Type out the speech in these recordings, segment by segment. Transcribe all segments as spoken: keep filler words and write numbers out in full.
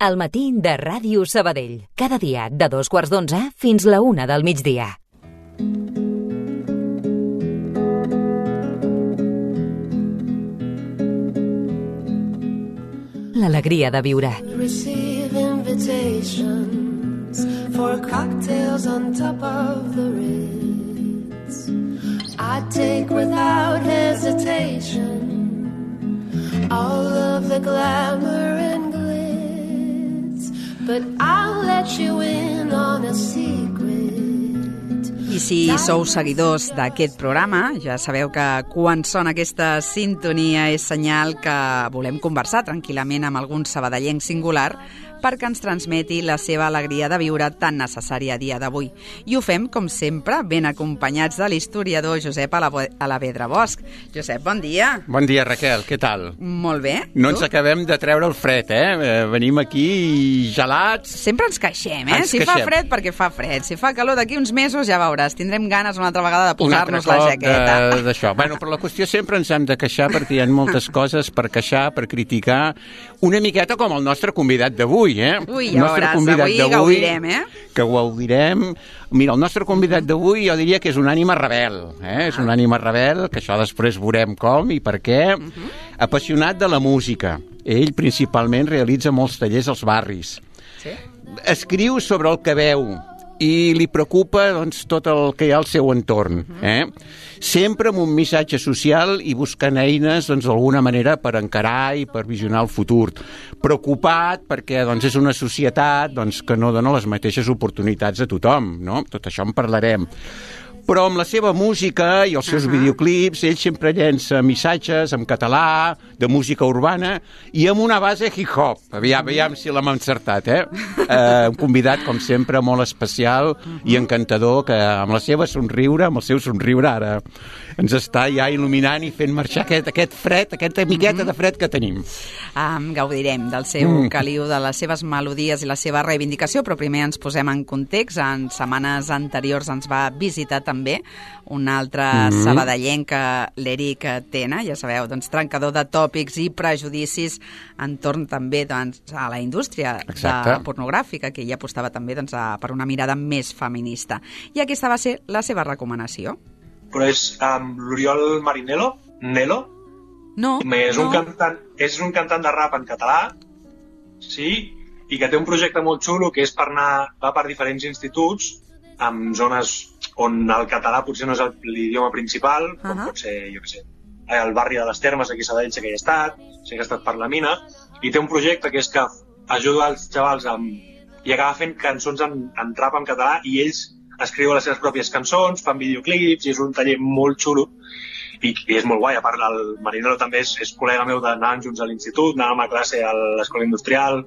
El matí de Ràdio Sabadell. Cada dia de dos quarts d'onze fins la una del migdia. L'alegria de viure. Receive invitations for cocktails on top of the Ritz. I take without hesitation all of the glamour and glitz, but I'll let you in on a secret. I si sou seguidors d'aquest programa, ja sabeu que quan sona aquesta sintonia és senyal que volem conversar tranquil·lament amb algun sabadellenc singular perquè ens transmeti la seva alegria de viure tan necessària a dia d'avui. I ho fem, com sempre, ben acompanyats de l'historiador Josep Alavedra Bosch. Josep, bon dia. Bon dia, Raquel, què tal? Molt bé. No ens acabem de treure el fred, eh? Venim aquí gelats. Sempre ens queixem, eh? Ens si queixem. fa fred, perquè fa fred. Si fa calor d'aquí uns mesos, ja veuràs, tindrem ganes una altra vegada de posar-nos la jaqueta. De, d'això. Bueno, però la qüestió sempre ens hem de queixar perquè hi ha moltes coses per queixar, per criticar, una miqueta com el nostre convidat d'avui, eh? Ui, ja veuràs, avui gaudirem, eh? Que gaudirem. Mira, el nostre convidat d'avui jo diria que és una ànima rebel, eh? És una ànima rebel, que això després veurem com i per què. Uh-huh. Apassionat de la música. Ell principalment realitza molts tallers als barris. Sí? Escriu sobre el que veu i li preocupa doncs, tot el que hi ha al seu entorn. Eh? Sempre amb un missatge social i buscant eines doncs, d'alguna manera per encarar i per visionar el futur. Preocupat perquè doncs, és una societat doncs, que no dona les mateixes oportunitats a tothom. No? Tot això en parlarem. Però amb la seva música i els seus uh-huh. videoclips, ell sempre llença missatges en català, de música urbana, i amb una base hip-hop. Aviam, aviam si l'hem encertat, eh? eh? Un convidat, com sempre, molt especial uh-huh. i encantador, que amb la seva somriure, amb el seu somriure, ara ens està ja il·luminant i fent marxar aquest, aquest fred, aquesta miqueta uh-huh. de fred que tenim. Um, gaudirem del seu mm. caliu, de les seves melodies i la seva reivindicació, però primer ens posem en context. En setmanes anteriors ens va visitar també un altre mm-hmm. sabadellenc, l'Eric Tena, ja sabeu, doncs, trencador de tòpics i prejudicis entorn també doncs, a la indústria de pornogràfica, que ella apostava també doncs, a, per una mirada més feminista. I aquesta va ser la seva recomanació. Però és um, l'Oriol Marinello, Nelo, no, és, no. Un cantant, és un cantant de rap en català, sí, i que té un projecte molt xulo que és per anar, va per diferents instituts en zones on el català potser no és l'idioma principal, com uh-huh. pot ser, jo què sé, el barri de les Termes, aquí a Sabadell sé que hi ha estat, sé que ha estat per la mina, i té un projecte que és que ajuda els xavals amb, i acaba fent cançons en, en rap en català i ells escriuen les seves pròpies cançons, fan videoclips i és un taller molt xulo i, i és molt guai. A part, el Marinello també és, és col·lega meu d'anar junts a l'institut, anàvem a classe a l'escola industrial,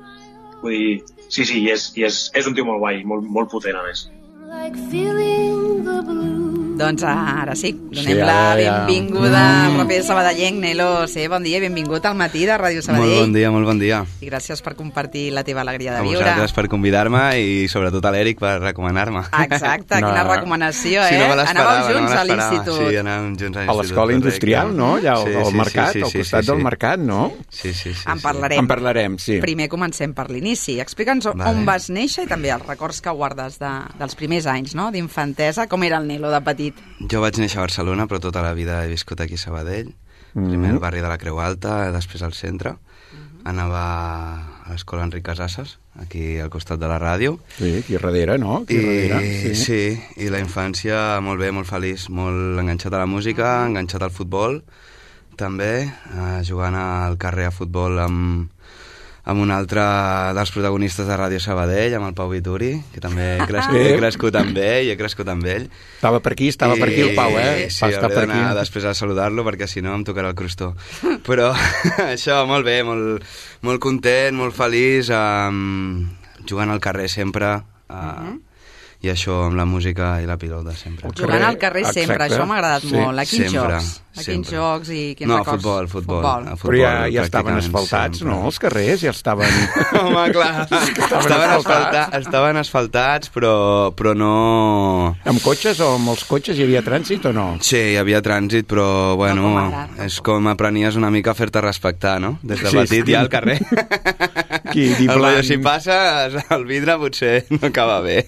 vull dir, sí, sí, i és, i és, és un tio molt guai, molt, molt potent a més. Like feeling the blue. Doncs ara sí, donem sí, la ja, benvinguda ja. al raper sabadellenc, Nelo. Sí, bon dia, benvingut al matí de Ràdio Sabadell. Molt bon dia, molt bon dia. I gràcies per compartir la teva alegria de a viure. A vosaltres per convidar-me i sobretot a l'Eric per recomanar-me. Exacte, no, quina recomanació, sí, eh? no Anàveu junts no a l'institut. Sí, anàvem junts a l'institut. A l'escola industrial, no? Allà al, sí, al sí, mercat, sí, sí, al sí, costat sí, del sí. mercat, no? Sí, sí, sí. En parlarem. En parlarem, sí. Primer comencem per l'inici. Explica'ns vale. on vas néixer i també els records que guardes de, dels primers anys, no? D'infantesa. Com era el Nelo de petit? Jo vaig néixer a Barcelona, però tota la vida he viscut aquí a Sabadell. Mm-hmm. Primer al barri de la Creu Alta, després al centre. Mm-hmm. Anava a l'escola Enric Casasses, aquí al costat de la ràdio. Sí, aquí darrere, no? Aquí I, darrere, sí. sí, i la infància molt bé, molt feliç, molt enganxat a la música, enganxat al futbol, també, eh, jugant al carrer a futbol amb, amb un altre dels protagonistes de Ràdio Sabadell, amb el Pau Vituri, que també he crescut, he crescut amb ell, i he crescut amb ell. Estava per aquí, estava I, per aquí el Pau, eh? Sí, hauré d'anar després a saludar-lo, perquè si no em tocarà el crostó. Però això, molt bé, molt, molt content, molt feliç, um, jugant al carrer sempre, uh, uh-huh. i això amb la música i la pilota sempre. Jugant al carrer sempre, exacte. Això m'ha agradat sí. molt. A quins sempre, jocs? A quins sempre. jocs i quins no, records? Futbol, futbol, futbol. A futbol. Però ja, ja estaven asfaltats, sempre. No? Els carrers ja estaven... Home, clar. estaven, estaven, asfaltats. estaven asfaltats, però, però no... Amb cotxes o amb els cotxes hi havia trànsit o no? Sí, hi havia trànsit, però, bueno, no com ara, és com aprenies una mica a fer-te respectar, no? Des de sí, petit sí. ja al carrer. Aquí, el rotllo, si passa, el vidre potser no acaba bé.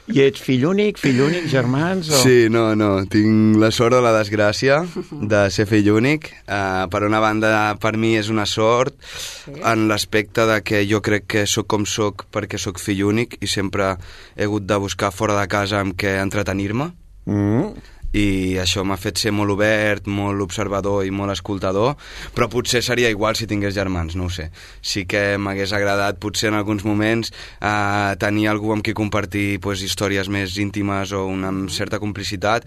I ets fill únic, fill únic, germans? O... Sí, no, no. Tinc la sort o la desgràcia de ser fill únic. Uh, per una banda, per mi és una sort sí. en l'aspecte de que jo crec que sóc com sóc perquè sóc fill únic i sempre he hagut de buscar fora de casa amb què entretenir-me. Mm. I això m'ha fet ser molt obert, molt observador i molt escoltador, però potser seria igual si tingués germans, no ho sé. Sí que m'hagués agradat potser en alguns moments eh, tenir algú amb qui compartir pues, històries més íntimes o una certa complicitat,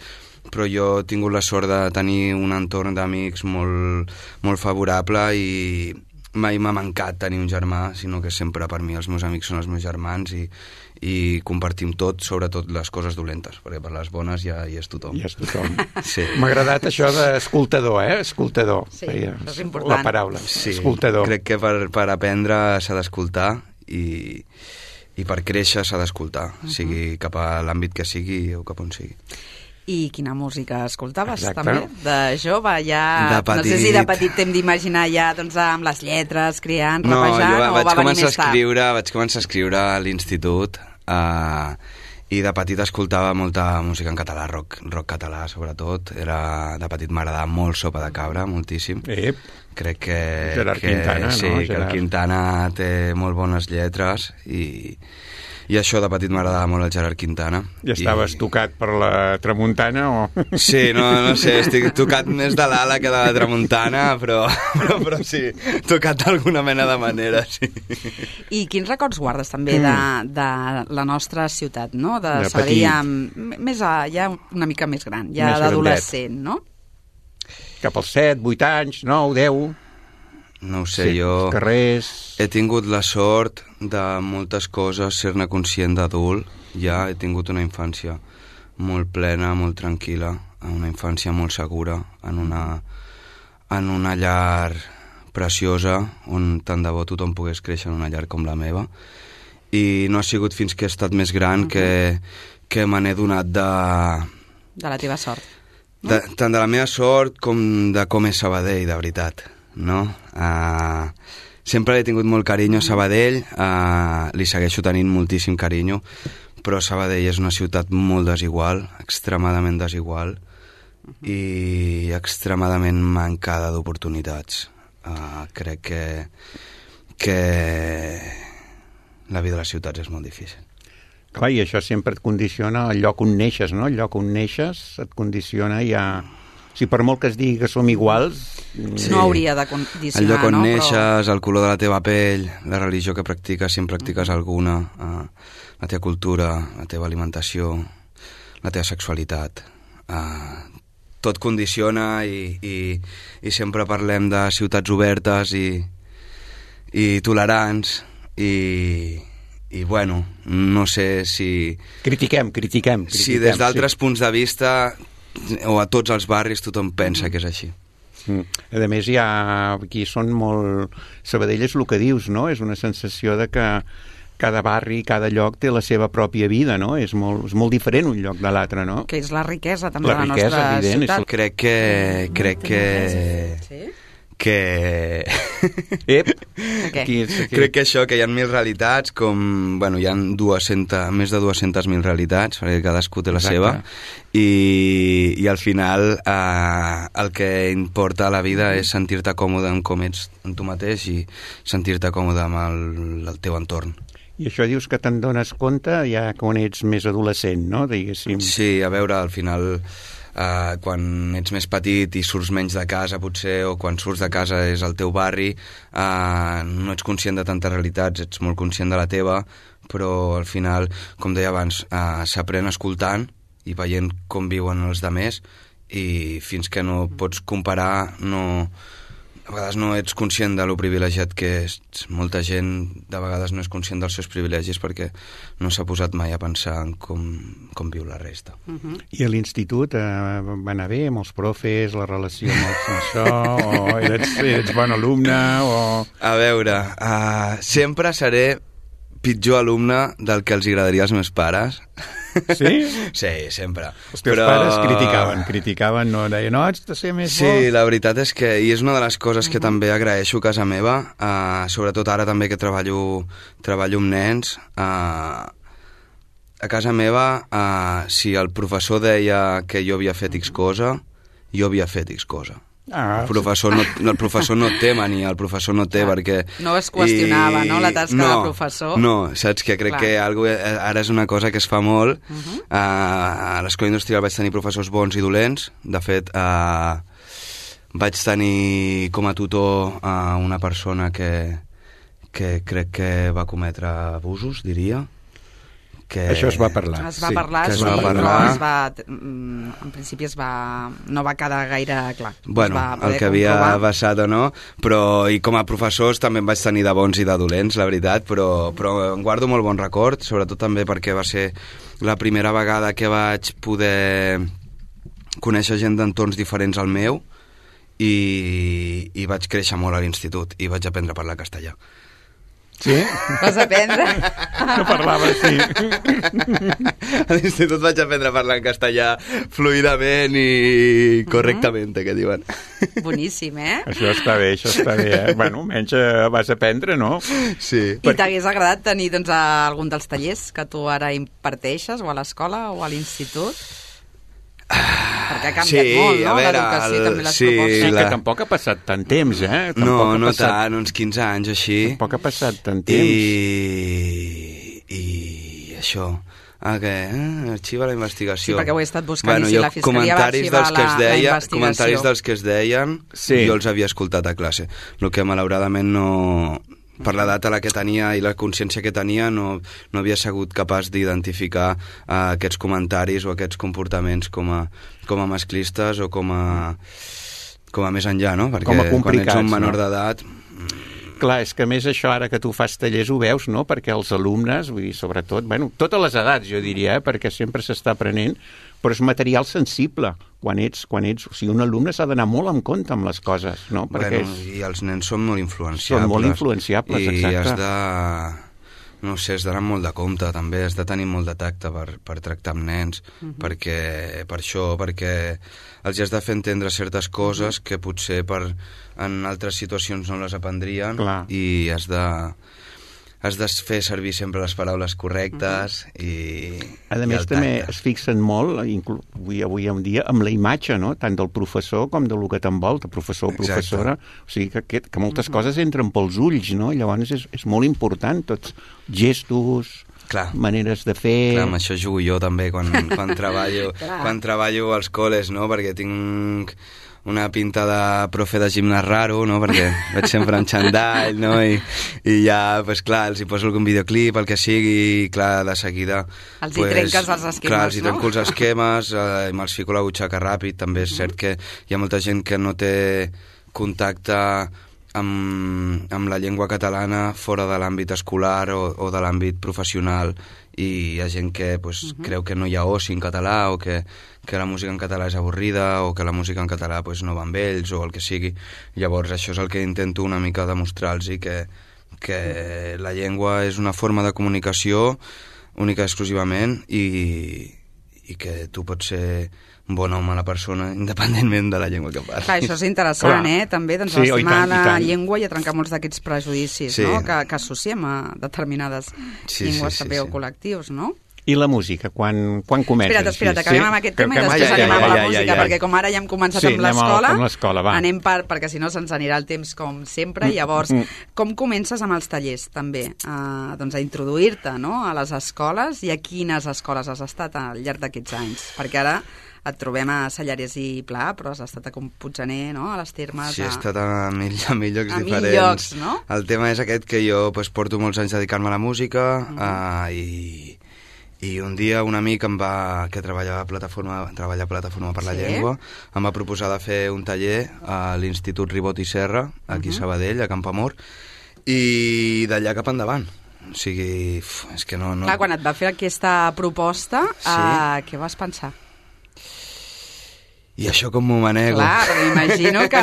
però jo he tingut la sort de tenir un entorn d'amics molt, molt favorable i mai m'ha mancat tenir un germà, sinó que sempre per mi els meus amics són els meus germans i, i compartim tot, sobretot les coses dolentes, perquè per les bones ja hi és tothom. Ja és tothom. Sí. M'ha agradat això d'escoltador, eh? Escoltador. Sí, Feia, és important. La paraula, sí, escoltador. Crec que per, per aprendre s'ha d'escoltar i, i per créixer s'ha d'escoltar, uh-huh. sigui cap a l'àmbit que sigui o cap on sigui. I quina música escoltaves, Exacte. també? De jove, ja... De petit. No sé si de petit t'hem d'imaginar ja doncs, amb les lletres, criant, no, rapejant, jo o vaig va venir començar més a tard? escriure, vaig començar a escriure a l'institut uh, i de petit escoltava molta música en català, rock, rock català sobretot. Era, de petit m'agradava molt Sopa de Cabra, moltíssim. Ep. Crec que... Gerard que, Quintana, sí, no? que Gerard. el Quintana té molt bones lletres i... I això de petit m'agradava molt el Gerard Quintana. I estaves I... tocat per la tramuntana o...? Sí, no, no sé, estic tocat més de l'ala que de la tramuntana, però, però, però sí, tocat d'alguna mena de manera, sí. I quins records guardes també de, de la nostra ciutat, no? De, De saber ja, petit. més a, ja una mica més gran, ja Més d'adolescent, no? Cap als set, vuit anys, nou, deu... No ho sé, sí, jo carrers... he tingut la sort de moltes coses ser-ne conscient d'adult. Ja he tingut una infància molt plena, molt tranquil·la, una infància molt segura, en una, en una llar preciosa, on tant de bo tothom pogués créixer en una llar com la meva. I no ha sigut fins que he estat més gran uh-huh. que, que me n'he donat de... De la teva sort. No? De, tant de la meva sort com de com és Sabadell, de veritat. No? Uh, sempre he tingut molt carinyo a Sabadell, uh, li segueixo tenint moltíssim carinyo, però Sabadell és una ciutat molt desigual, extremadament desigual i extremadament mancada d'oportunitats. Uh, crec que, que la vida de les ciutats és molt difícil. Clar, i això sempre et condiciona el lloc on neixes, no? El lloc on neixes et condiciona ja... Si per molt que es digui que som iguals... Sí. No hauria de condicionar, el lloc on no? neixes, però... el color de la teva pell, la religió que practiques, si en practiques alguna, uh, la teva cultura, la teva alimentació, la teva sexualitat... Uh, tot condiciona i, i, i sempre parlem de ciutats obertes i, i tolerants i, i bueno, no sé si... Critiquem, critiquem. critiquem si des d'altres sí. punts de vista o a tots els barris tothom pensa mm. que és així. Mm. A més, hi ha, aquí són molt... Sabadell és el que dius, no? És una sensació de que cada barri, cada lloc té la seva pròpia vida, no? És molt, és molt diferent un lloc de l'altre, no? Que és la riquesa també la de la riquesa, nostra evident, ciutat. És... Crec que... Crec que... Sí? que... Ep. Okay. Aquí, aquí. Crec que això, que hi ha mil realitats, com... Bueno, hi ha dues-centes, més de dues-centes mil realitats, perquè cadascú té la Exacte. seva, i, i al final eh, el que importa a la vida és sentir-te còmode amb com ets en tu mateix i sentir-te còmode amb el, el teu entorn. I això dius que te'n dones compte ja quan ets més adolescent, no? Diguéssim. Sí, a veure, al final... Uh, quan ets més petit i surts menys de casa potser, o quan surts de casa és el teu barri, uh, no ets conscient de tantes realitats, ets molt conscient de la teva, però al final, com deia abans, uh, s'aprèn escoltant i veient com viuen els demés, i fins que no pots comparar, no... a vegades no ets conscient de lo privilegiat que és. Molta gent de vegades no és conscient dels seus privilegis perquè no s'ha posat mai a pensar en com, com viu la resta. Uh-huh. I a l'institut eh, va anar bé amb els profes, la relació amb els això, o ets, ets bon alumne, o... A veure, uh, sempre seré pitjor alumne del que els agradaria als meus pares. Sí? Sí, sempre. Els teus Però... pares criticaven, criticaven, no deien, no, haig de ser més sí, bo. Sí, la veritat és que, i és una de les coses que uh-huh. també agraeixo a casa meva, uh, sobretot ara també que treballo, treballo amb nens, uh, a casa meva, uh, si el professor deia que jo havia fet X cosa, jo havia fet X cosa. Ah, el, professor no, no, el professor no té mania, el professor no té, ah, perquè... No es qüestionava, I, no?, la tasca no, del professor. No, saps que crec Clar. que algo, ara és una cosa que es fa molt. Uh-huh. uh, a l'escola industrial vaig tenir professors bons i dolents. De fet, uh, vaig tenir com a tutor uh, una persona que, que crec que va cometre abusos, diria. Que... Això es va parlar. Es va sí, parlar, sí, va parlar. Però es va, en principi es va, no va quedar gaire clar. Bueno, el que havia comprovar. passat o no, però i com a professors també em vaig tenir de bons i de dolents, la veritat, però, però em guardo molt bon record, sobretot també perquè va ser la primera vegada que vaig poder conèixer gent d'entorns diferents al meu i, i vaig créixer molt a l'institut i vaig aprendre a parlar castellà. Sí? Vas aprendre? No parlava, sí. A l'institut vaig aprendre a parlar en castellà fluidament i correctament, uh-huh. que diuen. Boníssim, eh? Això està bé, això està bé, eh? Bueno, menys vas aprendre, no? Sí. I per... t'hagués agradat tenir doncs, algun dels tallers que tu ara imparteixes, o a l'escola o a l'institut? Perquè ha canviat sí, molt, no? L'educació i també les sí, propostes. Sí, la... que tampoc ha passat tant temps, eh? Tampoc no, no passat... tant, uns quinze anys així. Tampoc ha passat tant temps. I, i això... Ah, què? Eh? Arxiva la investigació. Sí, perquè ho he estat buscant bueno, i si la Fiscalia va arxivar la, deia, la investigació. Comentaris dels que es deien, sí. jo els havia escoltat a classe. El que malauradament no... per l'edat a la que tenia i la consciència que tenia no, no havia sigut capaç d'identificar uh, aquests comentaris o aquests comportaments com a, com a masclistes o com a, com a més enllà, no? Perquè quan ets un menor no? d'edat... Clar, és que a més això ara que tu fas tallers ho veus, no? Perquè els alumnes, vull dir, sobretot, bueno, totes les edats jo diria, eh? Perquè sempre s'està aprenent, però és material sensible quan ets, quan ets, o sigui, un alumne s'ha d'anar molt en compte amb les coses, no? Perquè bueno, és... i els nens són molt influenciables. Són molt influenciables, i exacte. I has de... No sé, has d'anar molt de compte, també, has de tenir molt de tacte per, per tractar amb nens, uh-huh. perquè, per això, perquè els has de fer entendre certes coses uh-huh. que potser per, en altres situacions no les aprendrien. Clar. I has de... has de fer servir sempre les paraules correctes uh-huh. i... A més, també es fixen molt, inclu... avui, avui en dia, amb la imatge, no? Tant del professor com del que t'envolta, professor o professora. Exacte. O sigui, que, que moltes uh-huh. coses entren pels ulls, no? Llavors és, és molt important, tots gestos... Clar. Maneres de fer... Clar, amb això jugo jo també quan, quan, treballo, quan treballo als col·les, no? Perquè tinc una pinta de profe de gimnàs raro, no? Perquè veig sempre en xandall, no? I, i ja, pues, clar, els hi poso algun videoclip, el que sigui, i clar, de seguida... Els pues, hi trenques els esquemes, clar, els hi trenco no? els esquemes, eh, me'ls fico la butxaca ràpid, també és uh-huh. cert que hi ha molta gent que no té contacte amb, amb la llengua catalana fora de l'àmbit escolar o, o de l'àmbit professional, i hi ha gent que pues, uh-huh. creu que no hi ha oci en català o que, que la música en català és avorrida o que la música en català pues, no va amb ells o el que sigui. Llavors això és el que intento una mica demostrar-los, que, que la llengua és una forma de comunicació única i exclusivament i, i que tu pots ser bon home a la persona, independentment de la llengua que parli. Clar, això és interessant, Clar. eh? També, doncs, sí, estimar tant, la llengua i a trencar molts d'aquests prejudicis, sí. no?, que, que associem a determinades sí, llengües sí, sí, també sí. o col·lectius, no? I la música, quan, quan comences? Espera't, espera't, acabem sí? amb aquest tema que, que, i després ja, anem ja, ja, amb la música, ja, ja, ja. perquè com ara ja hem començat sí, amb l'escola, anem, anem per, perquè si no se'ns anirà el temps com sempre. Llavors, mm. com comences amb els tallers, també? Uh, doncs a introduir-te, no?, a les escoles, i a quines escoles has estat al llarg d'aquests anys? Perquè ara et trobem a Sallarès i Pla, però has estat a Puiggener, no?, a les Termes... Sí, he estat a mil, a mil llocs a diferents. Mil llocs, no? El tema és aquest que jo pues, porto molts anys dedicant-me a la música uh-huh. uh, i, i un dia un amic em va, que treballava a plataforma, treballa a Plataforma per la sí? Llengua em va proposar de fer un taller a l'Institut Ribot i Serra, aquí uh-huh. a Sabadell, a Campoamor, i d'allà cap endavant. O sigui, uf, és que no... no... Clar, quan et va fer aquesta proposta, sí. uh, què vas pensar? I això com m'ho manego. Clar, però m'imagino que...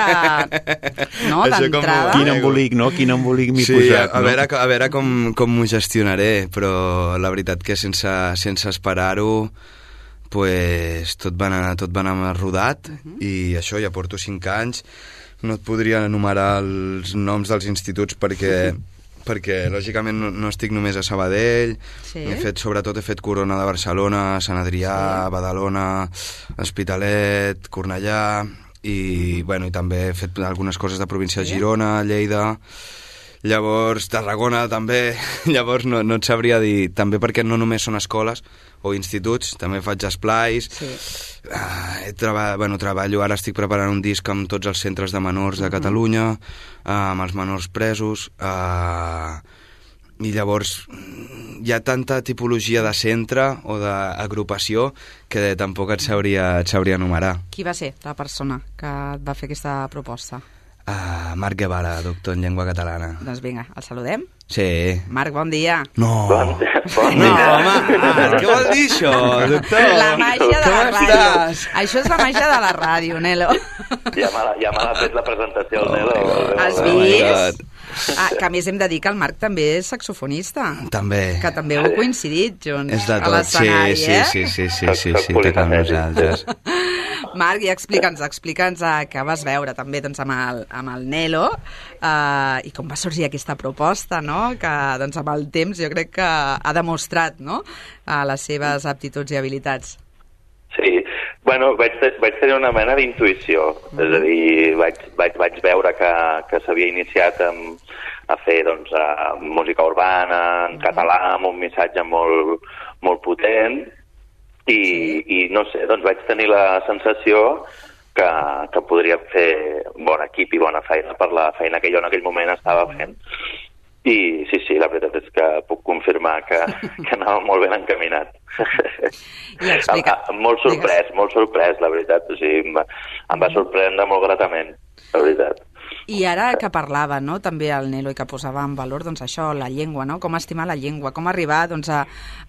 No, d'entrada... Quin embolic, no? Quin embolic m'hi sí, posat, a, a no? veure, a veure com, com m'ho gestionaré, però la veritat que sense, sense esperar-ho pues, tot va anar, tot va anar rodat, uh-huh. i això, ja porto cinc anys, no et podria enumerar els noms dels instituts perquè... perquè lògicament no, no estic només a Sabadell, sí. he fet, sobretot he fet Corona de Barcelona, Sant Adrià, sí. Badalona, Hospitalet, Cornellà, i, bueno, i també he fet algunes coses de província de sí. Girona, Lleida, llavors Tarragona també, llavors no, no et sabria dir, també perquè no només són escoles o instituts, també faig esplais, sí. uh, he treba... bueno, treballo, ara estic preparant un disc amb tots els centres de menors de Catalunya, uh, amb els menors presos, uh, i llavors hi ha tanta tipologia de centre o d'agrupació que tampoc et sabria, et sabria enumerar. Qui va ser la persona que et va fer aquesta proposta? Uh, Marc Guevara, doctor en llengua catalana. Doncs vinga, el saludem? Sí. Marc, bon dia. No. Bon dia. Bon no, dia. home, Marc, què vol dir això, doctor? La màgia de la Com ràdio. estàs? Això és la màgia de la ràdio, Nelo. Ja me l'ha ja me l'ha fet la presentació, el Nelo. Has vist? Ah, que a més hem de dir que el Marc també és saxofonista. També. Que també heu coincidit junts És de a tot, sí, l'escenari, sí, eh? sí, sí, sí, sí, sí, tot amb nosaltres. Marc, i explica'ns, explica'ns uh, què vas veure també doncs, amb, el, amb el Nelo uh, i com va sorgir aquesta proposta, no? Que doncs, amb el temps jo crec que ha demostrat, no? uh, les seves aptituds i habilitats. Sí, bueno, vaig, te vaig tenir una mena d'intuïció, mm. és a dir, vaig, vaig, vaig veure que, que s'havia iniciat amb, a fer doncs, a, música urbana en mm. català, amb un missatge molt, molt potent, i, sí. i no sé, doncs vaig tenir la sensació que, que podria fer bon equip i bona feina per la feina que jo en aquell moment estava fent. I sí, sí, la veritat és que puc confirmar que, que anava molt ben encaminat. I explica... molt sorprès, molt sorprès, la veritat. O sigui, em va, em va sorprendre molt gratament, la veritat. I ara que parlava, no?, també el Nelo, i que posava en valor, doncs, això, la llengua, no?, com estimar la llengua, com arribar, doncs, a,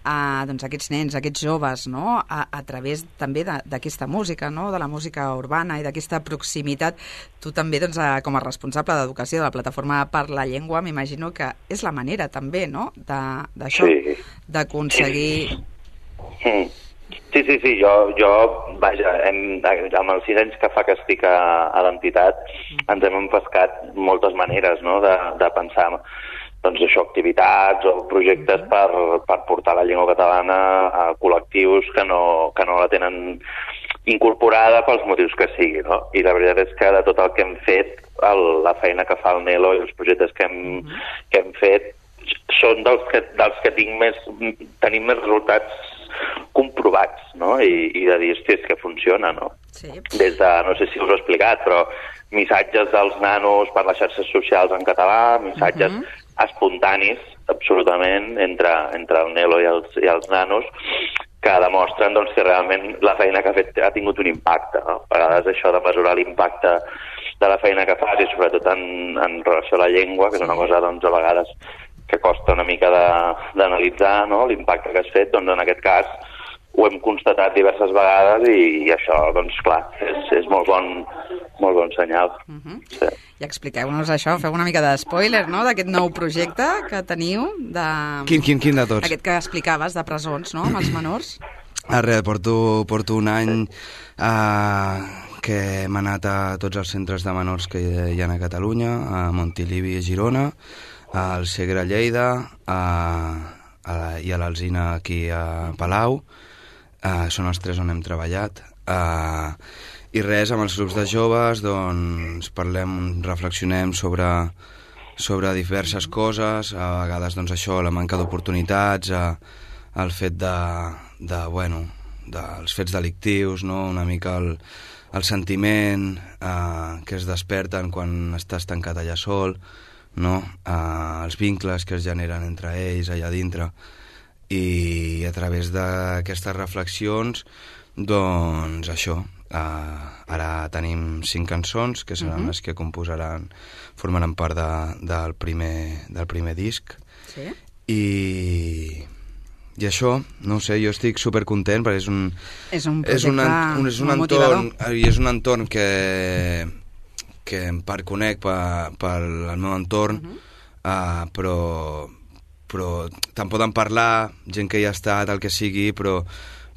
a doncs, a aquests nens, a aquests joves, no?, a, a través també d'aquesta música, no?, de la música urbana i d'aquesta proximitat. Tu també, doncs, a, com a responsable d'educació de la Plataforma per la Llengua, m'imagino que és la manera, també, no?, d'això, sí. d'aconseguir... Sí. Sí, sí, sí, jo, jo vaja, hem, amb els sis anys que fa que estic a, a l'entitat, ens hem empescat moltes maneres, no?, de, de pensar, doncs això, activitats o projectes per, per portar la llengua catalana a col·lectius que no, que no la tenen incorporada pels motius que sigui, no? I la veritat és que de tot el que hem fet, el, la feina que fa el Nelo i els projectes que hem, uh-huh. que hem fet, són dels que, dels que tinc més, tenim més resultats comprovats, no? I, i de dir, hosti, és que funciona, no? Sí. Des de, no sé si us ho he explicat, però missatges dels nanos per les xarxes socials en català, missatges uh-huh. espontanis, absolutament, entre, entre el Nelo i els, i els nanos, que demostren doncs, que realment la feina que ha fet ha tingut un impacte, no? A vegades això de mesurar l'impacte de la feina que fas, i sobretot en, en relació a la llengua, que és una cosa, doncs, a vegades que costa una mica d'analitzar, no?, l'impacte que has fet, doncs en aquest cas ho hem constatat diverses vegades i, i això, doncs clar, és, és molt bon, molt bon senyal. Uh-huh. Sí. I expliqueu-nos això, feu una mica de spoiler, no?, d'aquest nou projecte que teniu. De... Quin, quin, quin de tots? Aquest que explicaves, de presons, no?, amb els menors. Ah, res, porto, porto un any eh, que hem anat a tots els centres de menors que hi ha a Catalunya, a Montilivi i a Girona, al Segre a Lleida, a, a la, i a l'Alzina aquí a Palau. Uh, són els tres on hem treballat. Uh, I res, amb els grups de joves, doncs, parlem, reflexionem sobre, sobre diverses coses, a vegades, doncs, això, la manca d'oportunitats, uh, el fet de, de, bueno, dels fets delictius, no?, una mica el, el sentiment uh, que es desperten quan estàs tancat allà sol, no? Uh, els vincles que es generen entre ells allà dintre, i a través d'aquestes reflexions, doncs això, uh, ara tenim cinc cançons que seran uh-huh. les que composaran, formaran part de, del, primer, del primer disc. Sí. I, i això, no ho sé, jo estic supercontent perquè és un... És un projecte és un, un, és un molt entorn, motivador. I és un entorn que, que em perconec per, per el meu entorn, uh-huh. uh, però, però te'n poden parlar, gent que hi ha estat, el que sigui, però,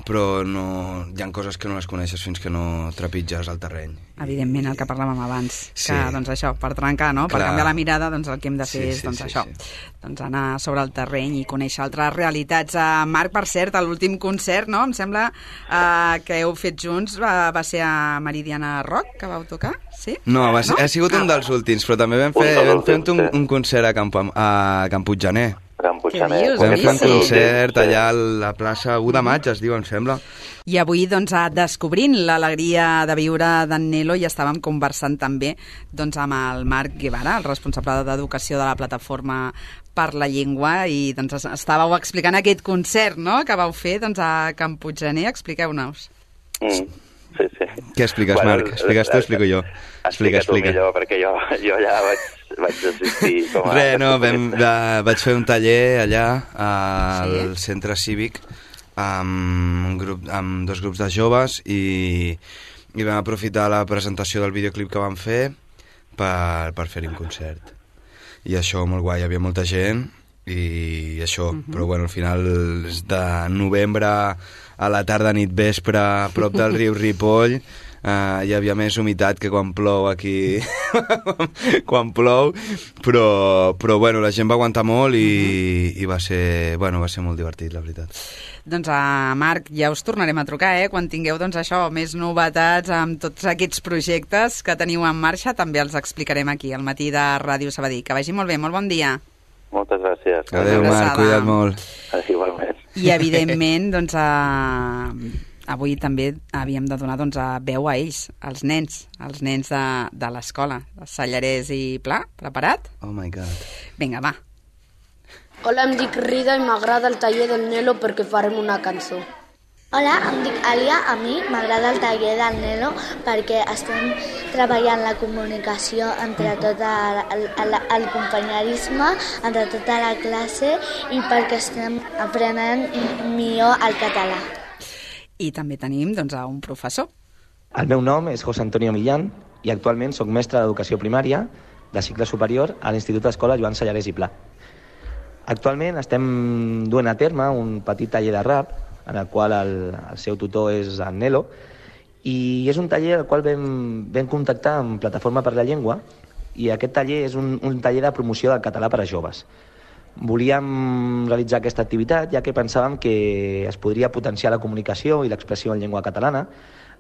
però no, hi ha coses que no les coneixes fins que no trepitges el terreny. Evidentment, el que parlàvem abans, Sí. que doncs això, per trencar, no? per Clar. canviar la mirada, doncs el que hem de fer Sí, és sí, doncs, sí, això, sí. doncs anar sobre el terreny i conèixer altres realitats. Uh, Marc, per cert, a l'últim concert, no? Em sembla uh, que heu fet junts, va, va ser a Meridiana Rock, que vau tocar, sí? No, va ser, no? ha sigut un dels últims, però també vam fer, vam fer un, un concert a, Camp, a Can Puiggener. Can Puiggener. Què dius? Vam Sí, fer un sí. concert allà a la plaça u de maig, es diu, em sembla. I avui, doncs, descobrint l'alegria de viure d'en Nelo, i estàvem conversant també doncs, amb el Marc Guevara, el responsable d'educació de la plataforma per la llengua, i doncs, estàveu explicant aquest concert, no?, que vau fer doncs, a Can Puiggener. Expliqueu-nos. Mm, sí, sí. Què expliques, bueno, Marc? Expliques tu o explico jo? Explica, explica tu millor, perquè jo, jo ja vaig, vaig assistir com a... Res, no, vam, va, vaig fer un taller allà al sí? centre cívic amb, un grup, amb dos grups de joves i, i vam aprofitar la presentació del videoclip que vam fer per, per fer-hi un concert. I això, molt guai, hi havia molta gent i això, uh-huh. però bueno, al final és de novembre a la tarda, nit, vespre, a prop del riu Ripoll. Uh, hi havia més humitat que quan plou aquí quan plou, però, però bueno, la gent va aguantar molt i, uh-huh. i va ser, bueno, va ser molt divertit, la veritat. Doncs a Marc, ja us tornarem a trucar, eh? Quan tingueu doncs, això, més novetats amb tots aquests projectes que teniu en marxa, també els explicarem aquí al matí de Ràdio Sabadell. Que vagi molt bé, molt bon dia. Moltes gràcies. Adéu, Marc, cuida't molt. Igualment. I evidentment, doncs, a... avui també havíem de donar doncs, a veu a ells, als nens, als nens de, de l'escola. Sallarès i Pla, preparat? Oh my God. Vinga, va. Hola, em dic Rida i m'agrada el taller del Nelo perquè farem una cançó. Hola, em dic Alia, a mi m'agrada el taller del Nelo perquè estem treballant la comunicació entre tot el, el, el, el companyerisme, entre tota la classe i perquè estem aprenent millor el català. I també tenim doncs, a un professor. El meu nom és José Antonio Millán i actualment soc mestre d'educació primària de cicle superior a l'Institut d'Escola Joan Sallarès i Pla. Actualment estem duent a terme un petit taller de rap en el qual el, el seu tutor és el Nelo i és un taller al qual vam, vam contactar amb Plataforma per la Llengua i aquest taller és un, un taller de promoció del català per a joves. Volíem realitzar aquesta activitat ja que pensàvem que es podria potenciar la comunicació i l'expressió en llengua catalana,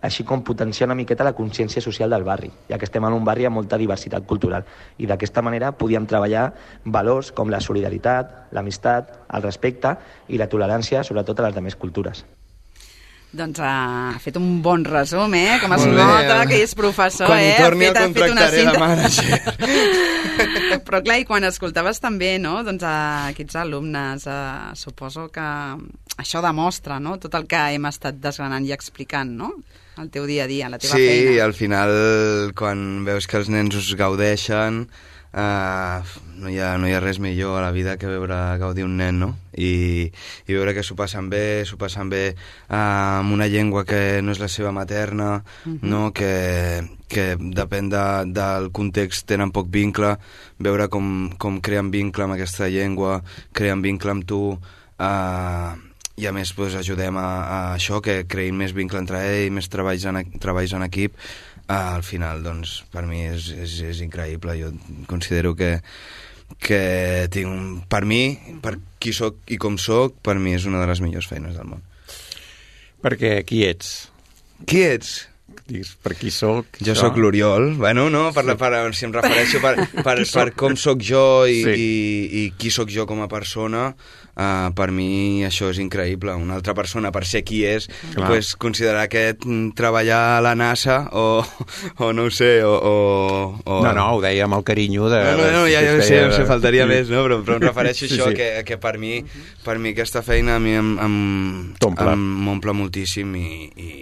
així com potenciar una miqueta la consciència social del barri, ja que estem en un barri amb molta diversitat cultural. I d'aquesta manera podíem treballar valors com la solidaritat, l'amistat, el respecte i la tolerància, sobretot a les altres cultures. Doncs ha fet un bon resum, eh? Com es Molt bé, nota eh? que és professor, quan eh? Quan hi torni el fet, contractaré de manager. Però clar, i quan escoltaves també, no?, doncs a aquests alumnes, eh, suposo que això demostra, no?, tot el que hem estat desgranant i explicant, no?, el teu dia a dia, la teva sí, feina. Sí, al final, quan veus que els nens us gaudeixen, Uh, no, hi ha, no hi ha res millor a la vida que veure gaudir un nen, no? I, i veure que s'ho passen bé, s'ho passen bé uh, amb una llengua que no és la seva materna, uh-huh. no? que, que depèn de, del context tenen poc vincle, veure com, com creen vincle amb aquesta llengua, creen vincle amb tu, uh, i a més pues, ajudem a, a això, que creïn més vincle entre ells, més treballs en, treballs en equip. Ah, al final, doncs, per mi és, és, és increïble. Jo considero que, que tinc un... Per mi, per qui soc i com soc, per mi és una de les millors feines del món. Perquè qui ets? Qui ets? Digues, per qui soc? Jo soc l'Oriol. Bueno, no, per, la, per, si em refereixo per, per, per com soc jo i, sí. i, i qui soc jo com a persona, uh, per mi això és increïble. Una altra persona, per ser qui és, pues, considerar que treballar a la NASA o, o no ho sé, o, o, o... No, no, ho deia amb el carinyo de... No, no, no ja, ja ho sé, de... faltaria sí. més, no? Però, però em refereixo a sí, això, sí. Que, que per mi, per mi aquesta feina a mi em, em, em m'omple moltíssim i... i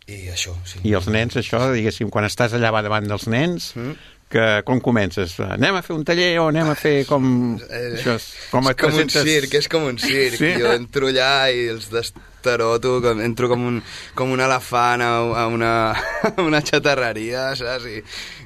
I això, sí. I els nens, això, diguéssim, quan estàs allà davant dels nens, mm. que com comences? Anem a fer un taller o anem a fer com... Eh, Això és, com és et com presentes... un circ, és com un circ. Sí? Jo entro allà i els destaroto, com, entro com un, com un elefant a, a, una, a una xatarreria, saps? I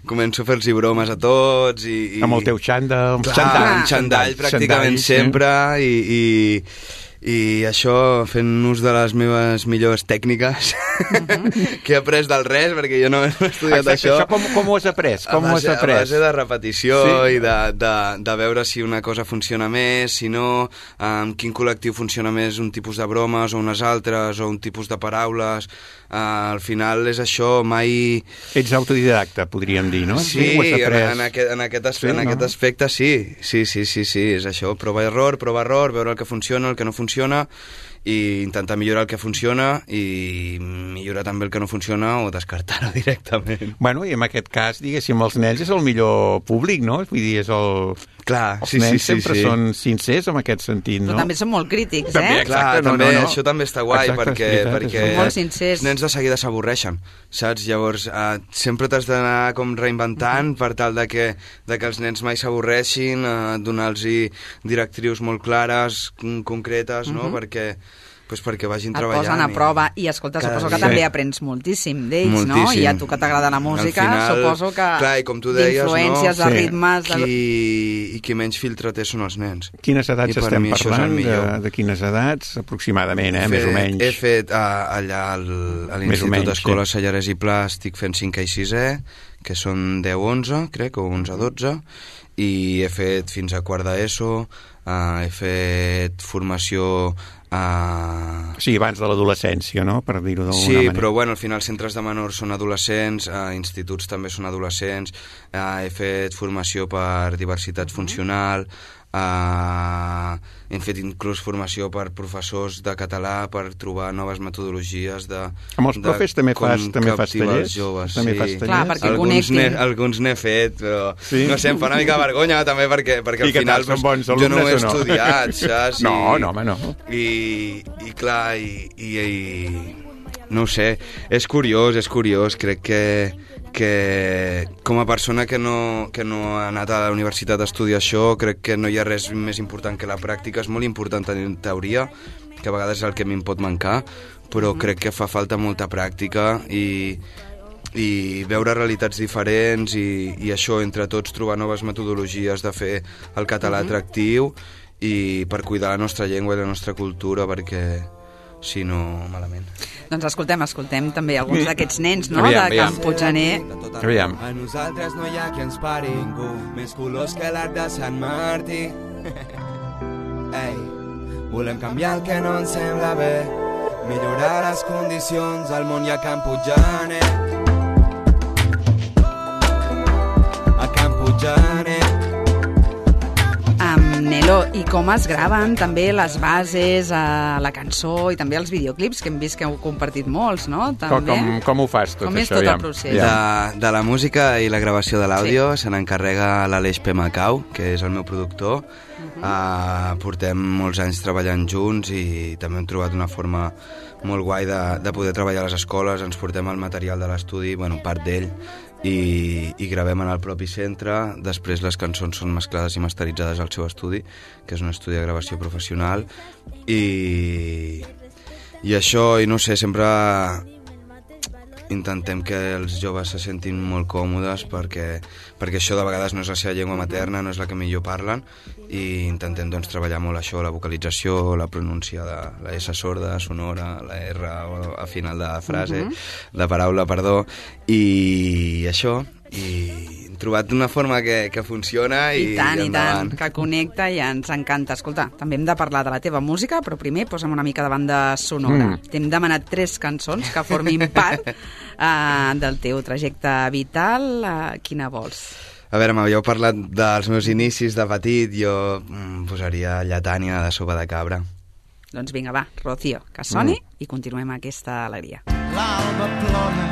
començo a fer-los bromes a tots. I, i... Amb el teu xandall. Clar, xandall, un xandall pràcticament xandall, sempre i... i i això fent ús de les meves millors tècniques uh-huh. que he après del res, perquè jo no he estudiat Exacte, això. això com, com ho has après? Com a, base, ho has après? a base de repetició sí. i de, de, de veure si una cosa funciona més, si no, amb quin col·lectiu funciona més un tipus de bromes o unes altres, o un tipus de paraules. Uh, al final és això, mai... Ets autodidacta, podríem dir, no? Sí, sí en, en, aquest, en, aquest, aspe sí, en no? aquest aspecte sí. Sí, sí, sí, sí, és això, prova-error, prova-error, veure el que funciona, el que no funciona, i intentar millorar el que funciona i millorar també el que no funciona o descartar-ho directament. Bueno, i en aquest cas, diguéssim, els nens és el millor públic, no? Vull dir, és el... Clar, els sí, nens sí, sí, sempre sí. són sincers en aquest sentit, no? Però també són molt crítics, també, eh? exacte, Clar, no, també, no, no. això també està guai, Exacte, perquè, veritat, perquè són molt sincers. els nens de seguida s'avorreixen, saps? Llavors, eh, sempre t'has d'anar com reinventant per tal de que, de que els nens mai s'avorreixin, eh, donar-los directrius molt clares, concretes, no? Uh-huh. Perquè... Pues perquè vagin et treballant. posen a prova i, escolta, suposo que també aprens moltíssim d'ells, no? I a tu que t'agrada la música, final, suposo que clar, i com tu deies, d'influències, no? de ritmes... Qui, De... I qui menys filtre té són els nens. Quines edats estem parlant? De, de, de quines edats? Aproximadament, eh? Fet, més o menys. He fet uh, allà al, a l'Institut d'Escola sí. Sallarès i Pla, estic fent cinquè i sisè, que són deu onze, crec, o onze dotze, i he fet fins a quart d'ESO, uh, he fet formació... Uh... Sí, abans de l'adolescència, no?, per dir-ho d'alguna sí, manera. Sí, però bueno, al final centres de menors són adolescents, uh, instituts també són adolescents, uh, he fet formació per diversitat funcional, uh, hem fet inclús formació per professors de català per trobar noves metodologies de... Amb els profes també fas, també fas tallers? Joves, també sí. fas tallers? Clar, perquè alguns n'he, alguns n'he fet, però sí? No sé, em fa una mica vergonya també perquè, perquè al final pues, bons jo no ho he no? estudiat, saps? I, no, no, home, no. I, i clar, i, i, i no ho sé, és curiós, és curiós, crec que que com a persona que no, que no ha anat a la universitat a estudiar això, crec que no hi ha res més important que la pràctica. És molt important tenir teoria, que a vegades és el que a mi em pot mancar, però crec que fa falta molta pràctica i, i veure realitats diferents i, i això, entre tots, trobar noves metodologies de fer el català uh-huh. atractiu i per cuidar la nostra llengua i la nostra cultura, perquè si no, malament. Doncs escoltem, escoltem també alguns d'aquests nens, no?, aviam, de Can Puiggener. Aviam. A nosaltres no hi ha qui ens pari ningú, més colors que l'arc de Sant Martí. Ei, volem canviar el que no ens sembla bé, millorar les condicions al món i a Can Puiggener. A Can Puiggener. Nelo, i com es graven també les bases, a la cançó i també els videoclips, que hem vist que heu compartit molts, no? També. Com, com ho fas tot com això? Com és tot ja? el procés? De, de la música i la gravació de l'àudio sí. se n'encarrega l'Aleix P. Macau, que és el meu productor. Uh-huh. Uh, portem molts anys treballant junts i també hem trobat una forma molt guai de, de poder treballar a les escoles. Ens portem el material de l'estudi, bueno, part d'ell, i, i gravem en el propi centre. Després les cançons són mesclades i masteritzades al seu estudi, que és un estudi de gravació professional, i, i això, i no sé, sempre intentem que els joves se sentin molt còmodes perquè, perquè això de vegades no és la seva llengua materna, no és la que millor parlen, i intentem doncs treballar molt això, la vocalització, la pronúncia de la S sorda, sonora, la R a final de frase, uh-huh. de paraula, perdó, i això, i hem trobat una forma que, que funciona i, I tant, i endavant. I tant, que connecta i ens encanta. Escolta, també hem de parlar de la teva música, però primer posa'm una mica de banda sonora. Mm. T'hem demanat tres cançons que formin part uh, del teu trajecte vital. Uh, quina vols? A veure, m'havíeu parlat dels meus inicis de petit, jo mm, posaria Lletània de Sopa de Cabra. Doncs vinga, va, Rocío, que soni mm. i continuem aquesta alegria. L'alba plora,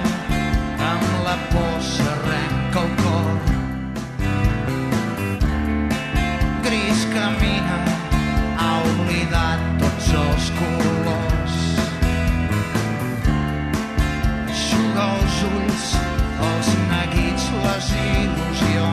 amb la por s'arrenca el cor. Gris camina, ha oblidat tots els colors. Eixuga els ulls, els neguits, les il·lusions.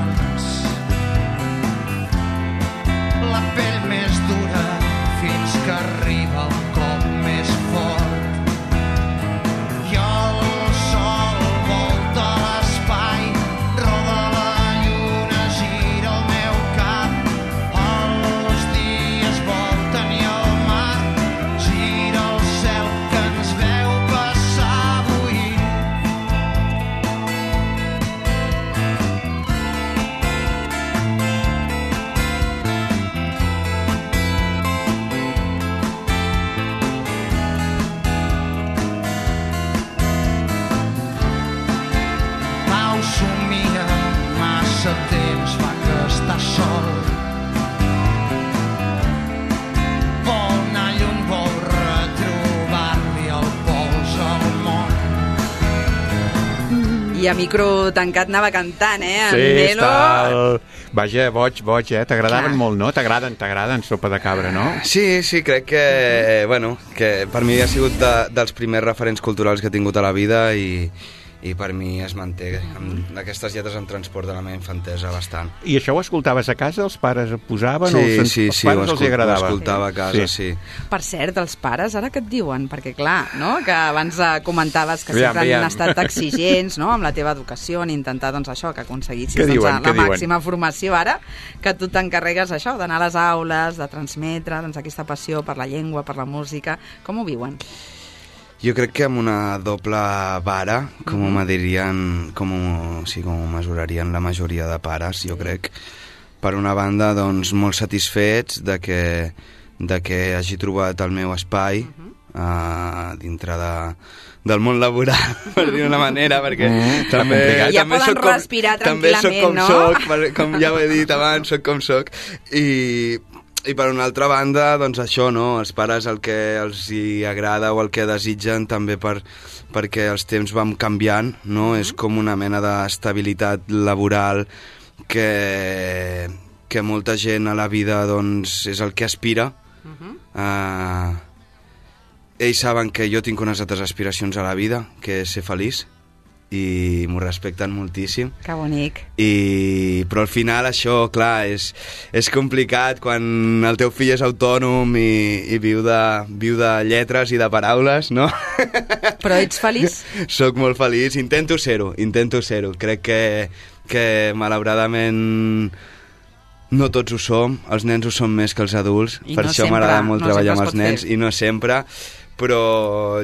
I a micro tancat anava cantant, eh? En Sí, Nelo. està... El... Vaja, boig, boig, eh? T'agradaven molt, no? T'agraden, t'agraden Sopa de Cabra, no? Sí, sí, crec que, bueno, que per mi ha sigut de, dels primers referents culturals que he tingut a la vida i, i per mi es manté. Amb aquestes lletres em transporten la meva infantesa bastant. I això ho escoltaves a casa? Els pares ho posaven? Sí, o els, sí, els sí, pares ho, els hi agradava? ho escoltava a casa, sí. sí. Per cert, els pares, ara què et diuen? Perquè clar, no? Que abans eh, comentaves que Aviam, sempre aviam. han estat exigents, no?, amb la teva educació, en intentar, doncs, això, que aconseguissis Què doncs, diuen, la què diuen? màxima formació ara, que tu t'encarregues això, d'anar a les aules, de transmetre doncs, aquesta passió per la llengua, per la música. Com ho viuen? Jo crec que amb una doble vara, com Mhm. me dirien, com ho, sí, com ho mesurarien la majoria de pares, jo crec. Per una banda, doncs, molt satisfets de que, de que hagi trobat el meu espai uh, dintre de, del món laboral, per dir d'una manera, perquè Mm, també, complicat. Ja també poden soc com, respirar també soc com tranquil·lament, no? soc, per- com ja ho he dit abans, soc com soc, i... I per una altra banda, doncs això, no? Els pares el que els hi agrada o el que desitgen també per, perquè els temps van canviant, no? És com una mena d'estabilitat laboral que, que molta gent a la vida doncs, és el que aspira. Uh, ells saben que jo tinc unes altres aspiracions a la vida, que és ser feliç, i m'ho respecten moltíssim. Que bonic. I, però al final això, clar, és, és complicat quan el teu fill és autònom i, i viu, de, viu de lletres i de paraules, no? Però ets feliç? Soc molt feliç, intento ser-ho, intento ser-ho. Crec que, que malauradament no tots ho som, els nens ho són més que els adults, I per no això sempre, m'agrada molt no treballar sempre amb es els pot nens, fer. i no sempre, però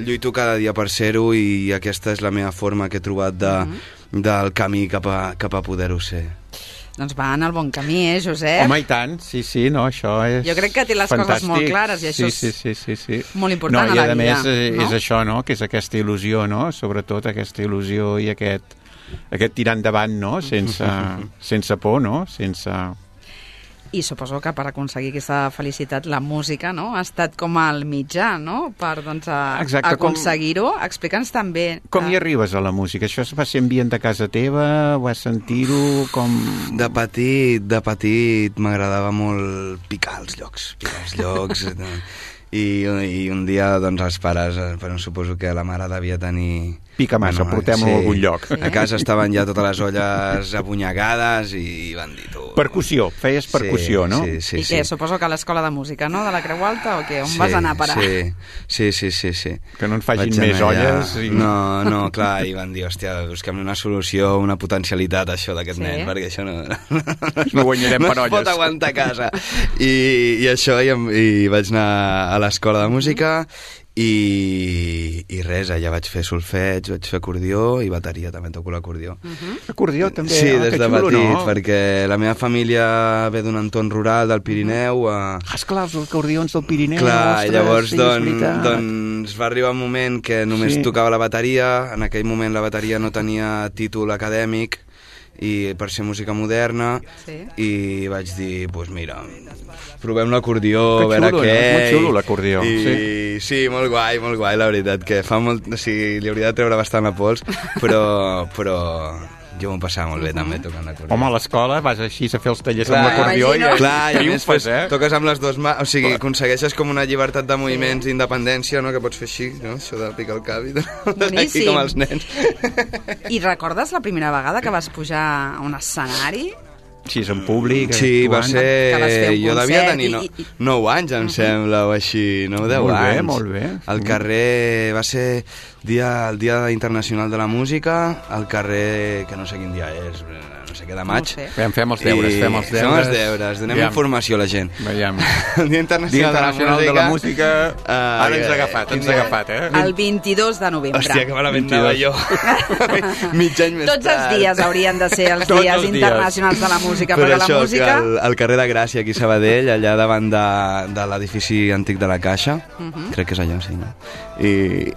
lluito cada dia per ser-ho i aquesta és la meva forma que he trobat de, Mhm. del camí cap a, cap a poder-ho ser. Doncs va en el bon camí, eh, Josep? Home, i tant, sí, sí, no, això és Jo crec que té les fantàstic. coses molt clares i això sí, és sí, sí, sí, sí. molt important no, a la i a vida, més eh, no? és això, no?, que és aquesta il·lusió, no?, sobretot aquesta il·lusió i aquest, aquest tirar endavant, no?, sense, sense por, no?, sense... I suposo que per aconseguir aquesta felicitat la música, no?, ha estat com el mitjà, no?, per doncs, a, Exacte, com- aconseguir-ho. Explica'ns també... Com hi arribes a la música? Això es va ser ambient de casa teva? Vas sentir-ho? Com... De petit, de petit m'agradava molt picar els llocs, picar els llocs. I, I un dia, doncs, els pares, eh, però suposo que la mare devia tenir... Pica massa, portem-ho a algun lloc. A casa estaven ja totes les olles apunyegades i van dir tu... Percussió, feies percussió, Sí, no? sí, sí, I què, sí. suposo que a l'escola de música, no?, de la Creu Alta, o què? On Sí, vas anar a parar? Sí, sí, sí, sí, sí. Que no en facin Vaig més anar allà. olles i- No, no, clar, i van dir, hòstia, busquem una solució, una potencialitat, això d'aquest Sí? nen, perquè això no... No guanyarem no per es pot olles. aguantar a casa. I, i això, i, em- i vaig anar a l'escola de música i, i res, allà vaig fer solfeig, vaig fer acordió i bateria, també toco l'acordió. Acordió també? Sí, Ah, des que de xulo, petit, no? perquè la meva família ve d'un entorn rural del Pirineu. A... Ah, esclar, els acordions del Pirineu, Clar, ostres, llavors sí, és don, veritat. doncs va arribar un moment que només Sí. tocava la bateria, en aquell moment la bateria no tenia títol acadèmic i per ser música moderna Sí. i vaig dir, doncs pues mira, provem l'acordió, Que a veure xulo, què. no? És molt xulo, l'acordió, I, sí. sí, molt guai, molt guai, la veritat, que fa molt... O sigui, li hauria de treure bastant la pols, però, però jo m'ho passava molt bé també tocant l'acordió. Home, a l'escola vas així a fer els tallers Clar, amb l'acordió i imagino. Clar, i a més triomfes, pues, eh? toques amb les dues mans, o sigui, aconsegueixes com una llibertat de moviments d'independència, no?, que pots fer així, no?, això de picar el cap i tot, aquí Boníssim. com els nens. I recordes la primera vegada que vas pujar a un escenari? Sí, és en públic. Sí, va actuant. Que vas fer ser... un Jo devia concert tenir i- no, i- i- nou anys, em sembla, o així, nou, deu Molt bé, anys. molt bé. Al carrer, va ser dia, el Dia Internacional de la Música, al carrer, que no sé quin dia és, no sé què, de maig. No ho sé. Fem, fem els deures, I fem els deures. Fem els deures, donem Aviam. informació a la gent. Veiem. El Dia Internacional, Dia Internacional de, de la la Música... Música. Ah, Ara ens ha eh, agafat, ens quin ha dia? agafat, eh? El vint-i-dos de novembre. Hòstia, que malament anava jo. Mig any més Tots els tard. dies haurien de ser els Tots dies els dies. internacionals de la música, Però perquè la això, música... que al, al carrer de Gràcia, aquí a Sabadell, allà davant de, de l'edifici antic de la Caixa, Mhm. crec que és allò, sí, no? I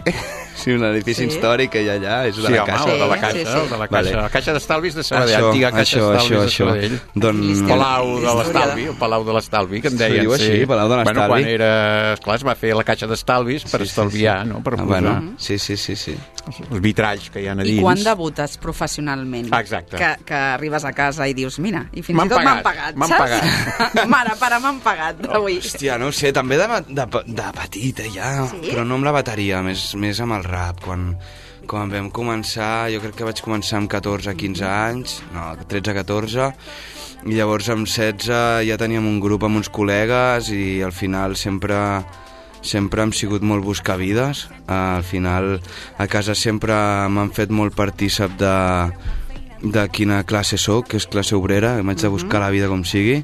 Sí, un edifici sí. històric que hi ha allà, és de sí, la home, Caixa. Sí, de la Caixa, sí, sí. De la Caixa, vale. La Caixa d'Estalvis de Sabadell, això, antiga Caixa això, d'Estalvis això, de Sabadell. Don... Palau de l'Estalvi, el Palau de l'Estalvi, que en deien. Se diu així, sí. Palau de l'Estalvi. Bueno, quan era... Esclar, es va fer la Caixa d'Estalvis per sí, estalviar, sí, sí. no? Per ah, posar... bueno, sí, sí, sí, sí. Els vitralls que hi ha a dins. I quan debutes professionalment? Exacte. Que, que arribes a casa i dius, mira, i fins i tot m'han pagat, m'han saps? pagat. Mare, pare, m'han pagat avui. Hòstia, no ho sé, també de, de, de petita ja, sí? Però no amb la bateria, més, més amb el rap. Quan, quan vam començar, jo crec que vaig començar amb catorze quinze anys, no, tretze catorze, i llavors amb setze ja teníem un grup amb uns col·legues i al final sempre... sempre hem sigut molt buscavides. Al final a casa sempre m'han fet molt partícip de, de quina classe soc, que és classe obrera, m'haig de buscar la vida com sigui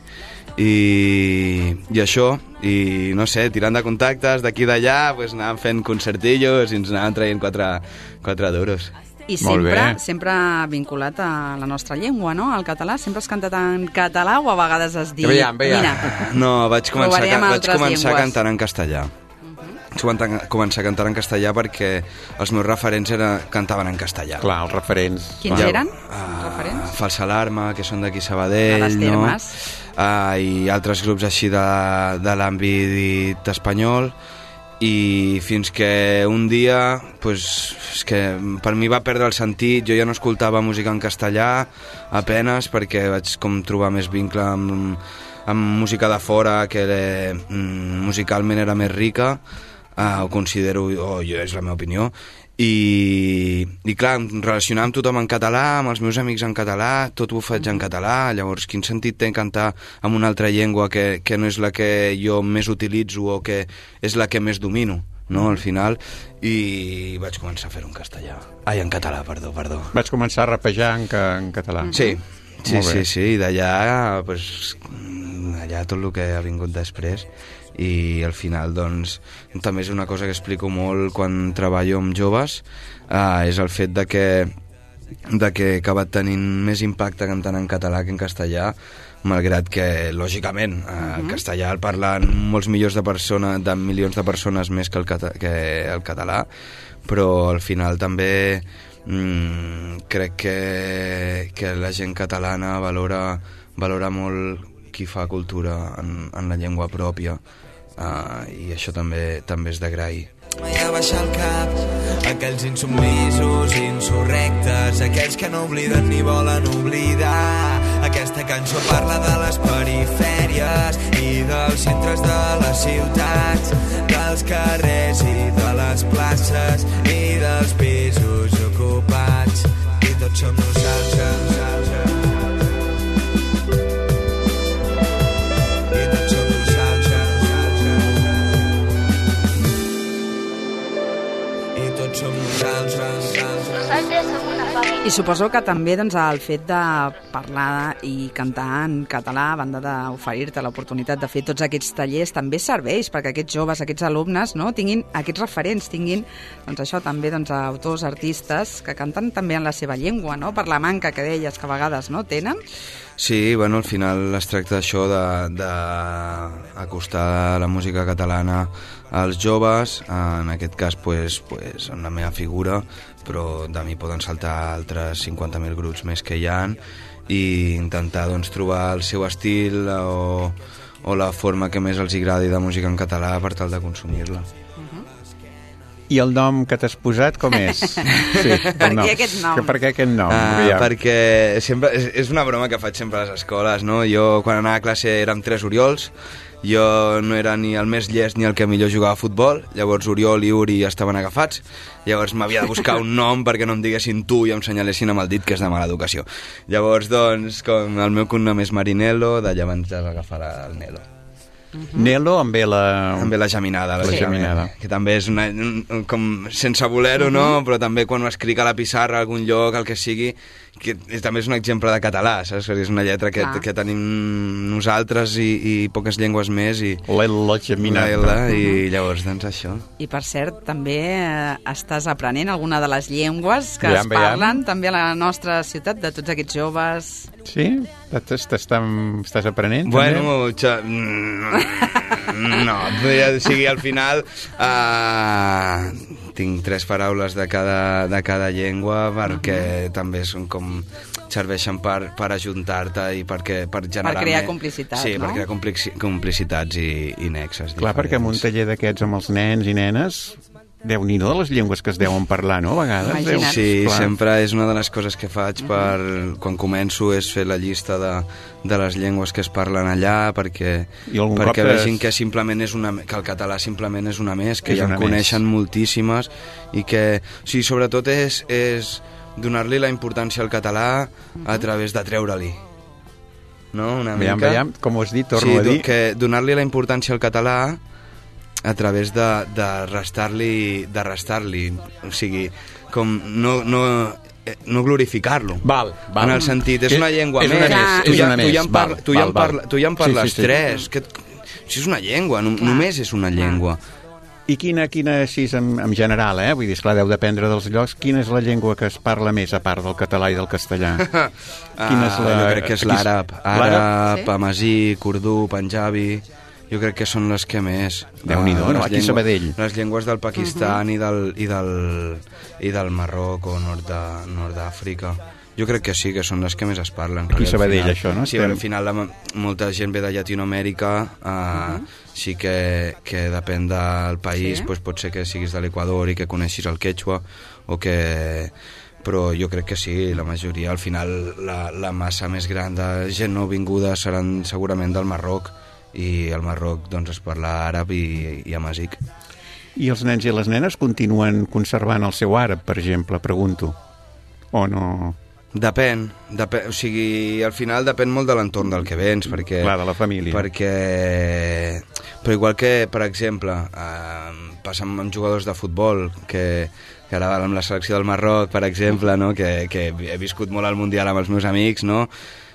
i, i això, i no sé, tirant de contactes d'aquí d'allà, pues, anàvem fent concertillos i ens anàvem traient quatre, quatre duros. I sempre, sempre vinculat a la nostra llengua, no? Al català. Sempre has cantat en català o a vegades has dit... Veiem, veiem. Mira, no, vaig començar, a, vaig començar llengües. cantant en castellà. Vaig començar a cantar en castellà perquè els meus referents era, cantaven en castellà. Clar, els referents. Quins clar. eren? Uh, referents? Falsa Alarma, que són d'aquí Sabadell, les no? Uh, I altres grups així de, de l'àmbit espanyol. I fins que un dia, pues, és que per mi va perdre el sentit, jo ja no escoltava música en castellà apenes perquè vaig com trobar més vincle amb, amb música de fora que eh, musicalment era més rica. Uh, ho considero, o oh, jo, és la meva opinió, i, i clar, relacionar amb tothom en català, amb els meus amics en català, tot ho faig en català, llavors quin sentit té cantar en una altra llengua que, que no és la que jo més utilitzo o que és la que més domino, no, al final, i vaig començar a fer-ho en castellà. Ai, en català, perdó, perdó. Vaig començar a rapejar en, en català. Sí, sí, sí, sí, i d'allà, pues, allà tot el que ha vingut després. I al final doncs també és una cosa que explico molt quan treballo amb joves, eh, és el fet de que, de que he acabat tenint més impacte cantant en català que en castellà, malgrat que lògicament eh, el castellà el parlen molts milions de persones, de milions de persones més que el, cata que el català, però al final també mm, crec que, que la gent catalana valora, valora molt qui fa cultura en, en la llengua pròpia, uh, i això també també és d'agrair. Mai a baixar el cap, aquells insubmisos, insurrectes, aquells que no obliden ni volen oblidar. Aquesta cançó parla de les perifèries i dels centres de les ciutats, dels carrers i de les places i dels pisos ocupats, i tots som nosaltres. I suposo que també doncs, el fet de parlar i cantar en català, a banda d'oferir-te l'oportunitat de fer tots aquests tallers, també serveix perquè aquests joves, aquests alumnes, no, tinguin aquests referents, tinguin doncs, això també doncs, autors, artistes que canten també en la seva llengua, no? Per la manca que deies que a vegades no tenen. Sí, bueno, al final es tracta d'això, d'acostar la música catalana als joves, en aquest cas pues, pues, en la meva figura, però de mi poden saltar altres cinquanta mil grups més que hi ha, i intentar doncs, trobar el seu estil o, o la forma que més els agradi de música en català per tal de consumir-la. I el nom que t'has posat com és? Sí, per què aquest nom? Que per què aquest nom? Uh, perquè sempre, és, és una broma que faig sempre a les escoles, no? Jo quan anava a classe érem tres Oriols, jo no era ni el més llest ni el que millor jugava a futbol, llavors Oriol i Uri estaven agafats, llavors m'havia de buscar un nom perquè no em diguessin tu i em senyalessin amb el dit, que és de mala educació. Llavors, doncs, com el meu cognom és Marinello, d'allà abans de agafar el Nelo. Uh-huh. Nelo amb ve la... Amb ve la geminada, la sí. geminada. Que també és una, un, com sense voler-ho, uh-huh. no? Però també quan ho escric a la pissarra, a algun lloc, el que sigui, que també és un exemple de català, saps? És una lletra que, que tenim nosaltres i, i poques llengües més. I l'L geminada. La L, i llavors, doncs, això. I per cert, també eh, estàs aprenent alguna de les llengües que veiem, es parlen veiem. també a la nostra ciutat, de tots aquests joves... Sí? Estàs aprenent? Bueno, xa... no, o sigui, al final uh, tinc tres paraules de cada, de cada llengua perquè uh-huh. també són com serveixen per, per ajuntar-te i perquè, per generar... Per crear complicitat, sí, no? per crear complici complicitats i, i nexes. Clar, perquè en un taller d'aquests amb els nens i nenes... Déu-n'hi-do de les llengües que es deuen parlar, no? A vegades. Déu, sí, clar. sempre és una de les coses que faig per, quan començo és fer la llista de, de les llengües que es parlen allà perquè, perquè vegin que simplement és una, que el català simplement és una més, que ja en coneixen més. Moltíssimes i que, o sigui, sobretot és, és donar-li la importància al català a través de treure-li. No? Una mica. Veiem, veiem, com ho has dit, torno sí, a dir. Que donar-li la importància al català a través de, de restar-li de restar-li, o sigui com no, no, no glorificar-lo. Val, val. En el sentit, és una llengua és més. Una més tu, és ja, una tu, ja més. parla, tu, ja val, parla, tu ja en parles sí, sí, sí. tres. Que, si és una llengua, no, només és una llengua. I quina, quina així en, en general, eh? Vull dir, esclar, deu dependre dels llocs. Quina és la llengua que es parla més, a part del català i del castellà? Quina és la... Jo crec que és l'àrab. Àrab, amazí, kurdú, panjabi... Jo crec que són les que més... Déu-n'hi-do, no? Aquí Sabadell. Les llengües del Pakistan uh-huh. i, del, i, del, i del Marroc o nord d'Àfrica. Jo crec que sí, que són les que més es parlen. Aquí Sabadell, final, això, no? Sí, al final la, molta gent ve de Llatinoamèrica, uh, uh-huh. sí que, que depèn del país, sí? Pues pot ser que siguis de l'Equador i que coneixis el quechua, o que... però jo crec que sí, la majoria, al final la, la massa més gran de gent no vinguda seran segurament del Marroc, i al Marroc doncs es parla àrab i, i amazigh. I els nens i les nenes continuen conservant el seu àrab, per exemple, pregunto, o no? Depèn, depèn, o sigui, al final depèn molt de l'entorn del que vens, perquè... Clar, de la família. Perquè... Però igual que, per exemple, eh, passa amb jugadors de futbol, que, que ara amb la selecció del Marroc, per exemple, no? que, que he viscut molt al Mundial amb els meus amics, no?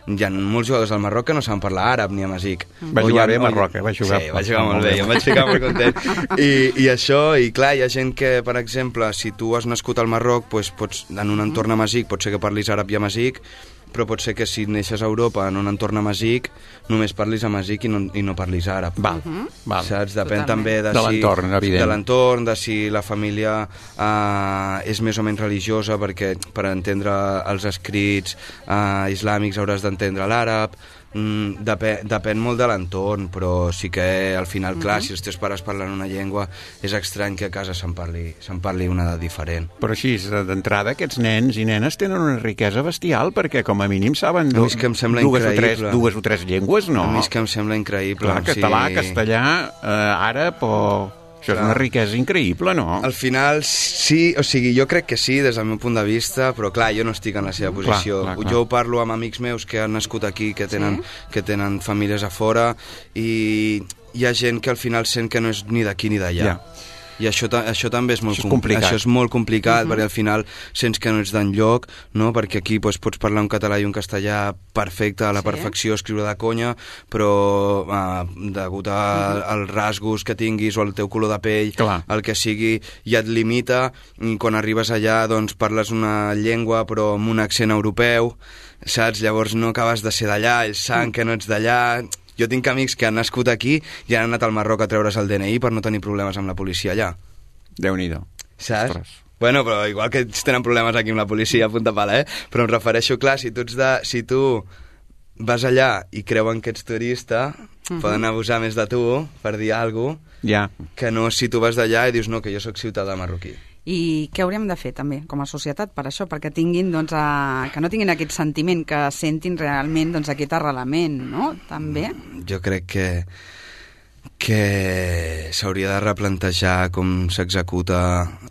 Hi ha molts jugadors del Marroc que no saben parlar àrab ni amazigh. Va jugar bé a Marroc, eh? Va jugar, sí, va jugar molt bé, jo em vaig ficar molt content. I, I això, i clar, hi ha gent que, per exemple, si tu has nascut al Marroc, doncs pots, en un entorn amazigh, pot ser que parlis àrab i amazigh, però pot ser que si neixes a Europa en un entorn amazigh, només parlis amazigh i no, i no parlis àrab. Val, uh-huh. val. Saps? Depèn Totalment. També de, de si, l'entorn, evident. De l'entorn, de si la família eh, és més o menys religiosa, perquè per entendre els escrits eh, islàmics hauràs d'entendre l'àrab. Mm, depèn, depèn molt de l'entorn, però sí que al final, clar, uh-huh. si els teus pares parlen una llengua, és estrany que a casa se'n parli, se'n parli una de diferent. Però així, d'entrada, aquests nens i nenes tenen una riquesa bestial, perquè com a mínim saben du que em sembla dues, o tres, dues o tres llengües, no? A mi és que em sembla increïble. Clar, català, sí. castellà, eh, àrab o... Això és una riquesa increïble, no? Al final, sí, o sigui, jo crec que sí, des del meu punt de vista, però clar, jo no estic en la seva posició. Clar, clar, clar. Jo parlo amb amics meus que han nascut aquí, que tenen, sí? que tenen famílies a fora, i hi ha gent que al final sent que no és ni d'aquí ni d'allà. Ja. I això, això també és molt això és complicat. Això és molt complicat, uh-huh. perquè al final sents que no ets d'enlloc, no? Perquè aquí doncs, pots parlar un català i un castellà perfecte, a la sí? perfecció, escriure de conya, però eh, degut a, uh-huh. als rasgos que tinguis o al teu color de pell, Clar. el que sigui, ja et limita. Quan arribes allà doncs, parles una llengua però amb un accent europeu, saps? Llavors no acabes de ser d'allà, ells saben que no ets d'allà... Jo tinc amics que han nascut aquí i han anat al Marroc a treure's el D N I per no tenir problemes amb la policia allà. Déu-n'hi-do. Saps? Ostres. Bueno, però igual que tenen problemes aquí amb la policia a punta pala, eh? Però em refereixo, clar, si tu, ets de, si tu vas allà i creuen que ets turista, uh-huh. poden abusar més de tu, per dir alguna cosa, ja. que no si tu vas d'allà i dius no, que jo sóc ciutadà marroquí. I què hauríem de fer també com a societat per això? Perquè tinguin, doncs, a... que no tinguin aquest sentiment, que sentin realment doncs, aquest arrelament, no? També. Jo crec que que s'hauria de replantejar com s'executa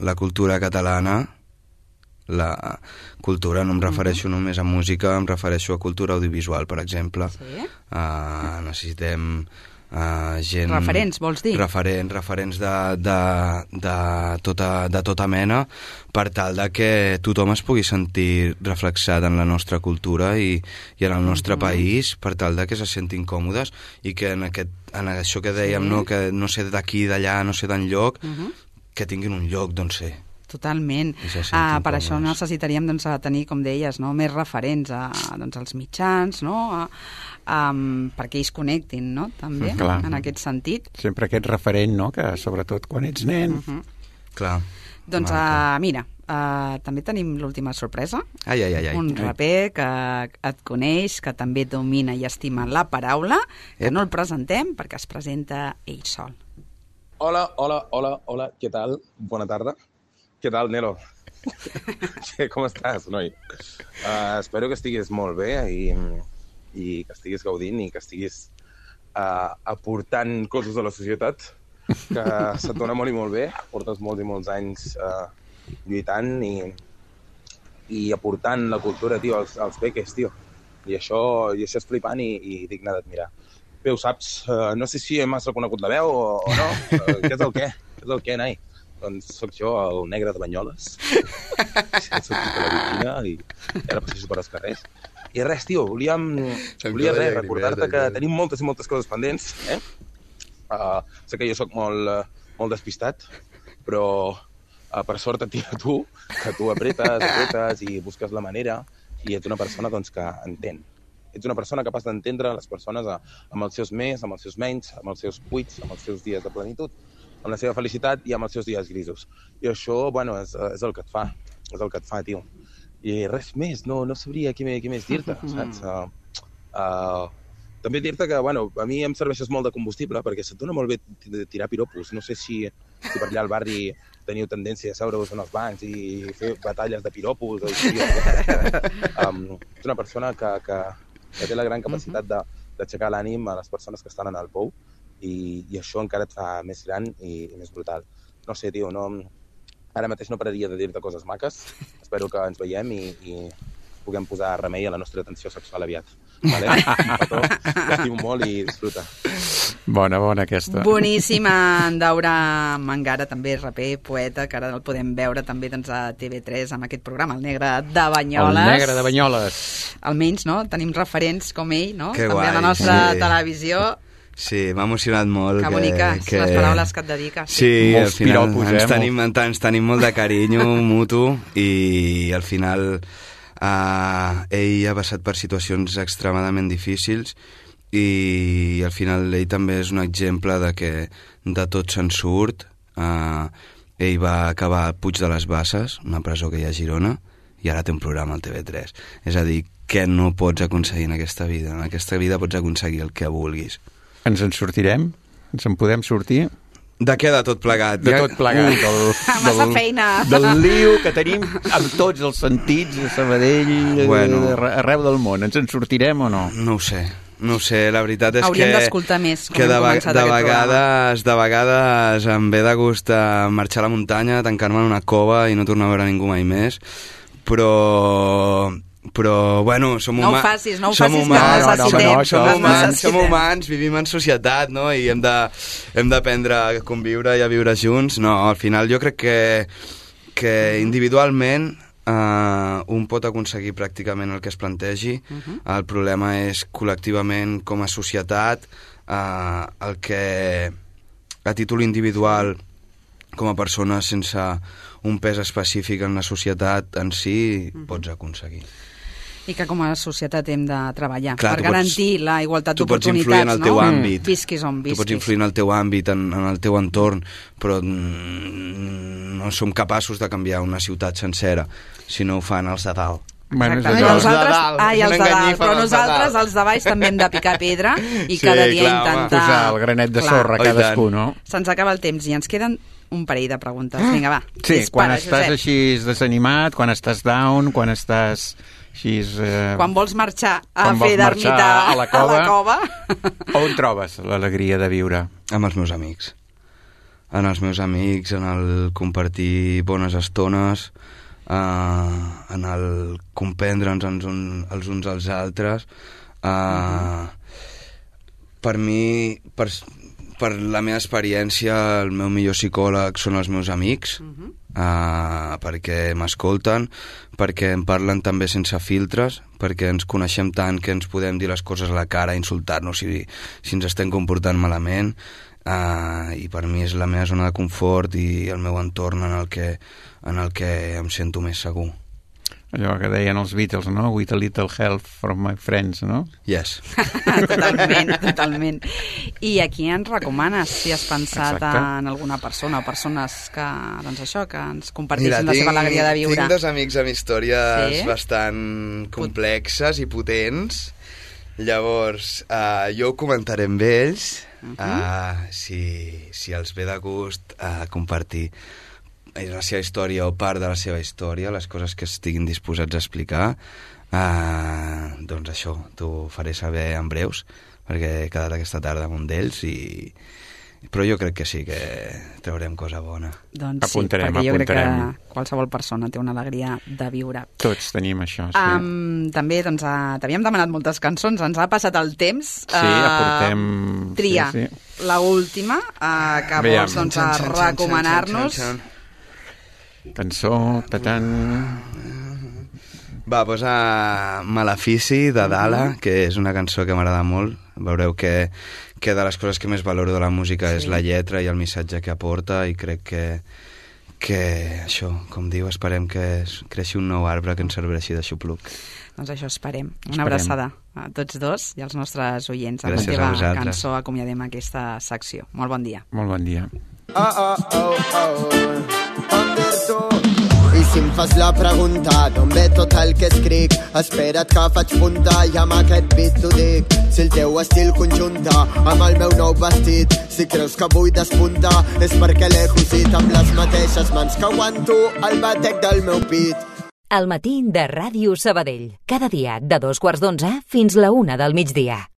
la cultura catalana. La cultura, no em refereixo mm-hmm. només a música, em refereixo a cultura audiovisual, per exemple. Sí? Uh, necessitem... Uh, gent... Referents, vols dir? Referents, referents de, de, de, tota, de tota mena, per tal de que tothom es pugui sentir reflexat en la nostra cultura i, i en el nostre mm-hmm. país, per tal de que se sentin còmodes i que en, aquest, en això que dèiem, sí. no, que no sé d'aquí, d'allà, no sé d'enlloc, mm-hmm. que tinguin un lloc d'on ser. Totalment. Ah, per això necessitaríem doncs, tenir, com deies, no? més referents a, doncs, als mitjans, no? a, a, perquè ells connectin, no? també, Clar. en aquest sentit. Sempre aquest referent, no? que sobretot quan ets nen... Uh-huh. Clar. Doncs, uh, mira, uh, també tenim l'última sorpresa. Ai, ai, ai, ai. Un raper que et coneix, que també domina i estima la paraula, que no el presentem perquè es presenta ell sol. Hola, hola, hola, hola, què tal? Bona tarda. Què tal, Nelo? Sí, com estàs, noi? Uh, espero que estiguis molt bé i, i que estiguis gaudint i que estiguis uh, aportant coses a la societat, que se't dona molt i molt bé, portes molts i molts anys uh, lluitant i, i aportant la cultura, tio, als, als peques, tio. I això, i això és flipant i, i digne d'admirar. Bé, ho saps, uh, no sé si m'has reconegut la veu o, o no. Uh, què és el què? Què és el què, nai? Doncs soc jo, el negre de Banyoles. Soc de la Vitina i ara passejo per els carrers. I res, tio, volia, volia res, recordar-te que tenim moltes i moltes coses pendents, eh? Uh, sé que jo sóc molt, uh, molt despistat, però uh, per sort et tira tu, que tu apretes, apretes i busques la manera i ets una persona doncs, que entén. Ets una persona capaç d'entendre les persones uh, amb els seus més, amb els seus menys, amb els seus buits, amb els seus dies de plenitud, amb la seva felicitat i amb els seus dies grisos. I això, bueno, és, és el que et fa, és el que et fa, tio. I res més, no, no sabria què, què més dir-te, saps? Uh, uh, També dir-te que, bueno, a mi em serveixes molt de combustible perquè se't dona molt bé tirar piropos. No sé si, si per allà al barri teniu tendència a seure-vos en els bancs i fer batalles de piropos. O així. um, ets una persona que, que, que té la gran capacitat de, d'aixecar l'ànim a les persones que estan en el pou i, i això encara et fa més gran i, i més brutal. No sé, tio, no, ara mateix no pararia de dir-te coses maques. Espero que ens veiem i, i puguem posar remei a la nostra tensió sexual aviat. Vale? Petó, t'estimo molt i disfruta. Bona, bona aquesta. Boníssima, en Daura Mangara, també raper, poeta, que ara el podem veure també doncs, a T V tres amb aquest programa, El Negre de Banyoles. El Negre de Banyoles. Almenys, no? Tenim referents com ell, no? Que també guai, a la nostra sí. televisió. Sí, m'ha emocionat molt. Que bonica, que... les paraules que et dediques. Sí, sí al final piropos, ens, eh? tenim, ens tenim molt de carinyo mutu i al final uh, ell ha passat per situacions extremadament difícils i al final ell també és un exemple de que de tot se'n surt. Uh, ell va acabar al Puig de les Basses, una presó que hi ha a Girona, i ara té un programa al T V tres. És a dir, què no pots aconseguir en aquesta vida? En aquesta vida pots aconseguir el que vulguis. Ens en sortirem? Ens en podem sortir? De què de tot plegat? De tot plegat. Del, Massa feina. Del lío que tenim amb tots els sentits a Sabadell, bueno, arreu del món. Ens en sortirem o no? No ho sé. No ho sé, la veritat és Hauríem que... Hauríem d'escoltar més, com que de, hem començat de aquest vegades, programa. De vegades em ve de gust marxar a la muntanya, tancar-me en una cova i no tornar a veure ningú mai més. Però... però, bueno, som humans... No ho facis, no ho som facis, humans, que necessitem. No, no, som, som, humans, som humans, vivim en societat, no? I hem de, hem d'aprendre a conviure i a viure junts. No, al final jo crec que, que individualment uh, un pot aconseguir pràcticament el que es plantegi. Uh-huh. El problema és col·lectivament, com a societat, uh, el que a títol individual, com a persona sense un pes específic en la societat en si, uh-huh. pots aconseguir. I que com a societat hem de treballar. Clar, per garantir pots, la igualtat d'oportunitats, en el teu no? àmbit. Visquis on visquis. Tu pots influir en el teu àmbit, en, en el teu entorn, però no som capaços de canviar una ciutat sencera si no ho fan els de dalt. Bueno, Exacte. els nosaltres, de dalt. ai, els de dalt, però nosaltres, els de baix, també hem de picar pedra i sí, cada dia clar, intentar... Posar el granet de sorra clar. Cadascú, no? Se'ns acaba el temps i ens queden un parell de preguntes. Vinga, va. Sí, dispara, quan estàs Josep. així desanimat, quan estàs down, quan estàs així... Eh... Quan vols marxar a quan fer d'ermita a la cova, a la cova. On trobes l'alegria de viure? Amb els meus amics. En els meus amics, en el compartir bones estones, eh, en el comprendre'ns els, un, els uns als altres. Eh, uh-huh. Per mi... Per, per la meva experiència, el meu millor psicòleg són els meus amics, uh-huh. uh, perquè m'escolten, perquè em parlen també sense filtres, perquè ens coneixem tant que ens podem dir les coses a la cara, insultar-nos si, si ens estem comportant malament, uh, i per mi és la meva zona de confort i el meu entorn en el que, en el que em sento més segur. Allò que deien els Beatles, no? With a little help from my friends, no? Yes. Totalment, totalment. I aquí ens recomanes, si has pensat Exacte. en alguna persona o persones que, doncs això, que ens comparteixin Mira, la tinc, seva alegria de viure. Tinc dos amics amb històries Sí? bastant complexes i potents. Llavors, uh, jo ho comentaré amb ells, uh -huh. uh, si, si els ve de gust uh, compartir la seva història o part de la seva història, les coses que estiguin disposats a explicar, uh, doncs això, t'ho faré saber en breus, perquè he quedat aquesta tarda amb un d'ells i... Però jo crec que sí, que traurem cosa bona. Doncs apuntarem, sí, perquè jo apuntarem. crec que qualsevol persona té una alegria de viure. Tots tenim això, sí. Um, també doncs, uh, t'havíem demanat moltes cançons, ens ha passat el temps. Sí, aportem... Tria, sí, sí. la última, uh, que Veiem. vols doncs, a recomanar-nos. Cançó, tatan... Va, posa Malefici, de Dala, que és una cançó que m'agrada molt. Veureu que, que de les coses que més valoro de la música sí. és la lletra i el missatge que aporta, i crec que, que això, com diu, esperem que es creixi un nou arbre que ens serveixi de xupluc. Doncs això esperem. Una Esperem. abraçada a tots dos i als nostres oients. Amb Gràcies la a teva vosaltres. cançó acomiadem aquesta secció. Molt bon dia. Molt bon dia. Oh, oh, oh, oh, Anderto. I si em fas la pregunta d'on ve tot el que escric, espera't que faig punta i amb aquest beat t'ho dic. Si el teu estil conjunta amb el meu nou vestit, si creus que vull despuntar és perquè l'he cosit amb les mateixes mans que aguanto el batec del meu pit. Al matí de Ràdio Sabadell. Cada dia de dos quarts d'onze fins la una del migdia.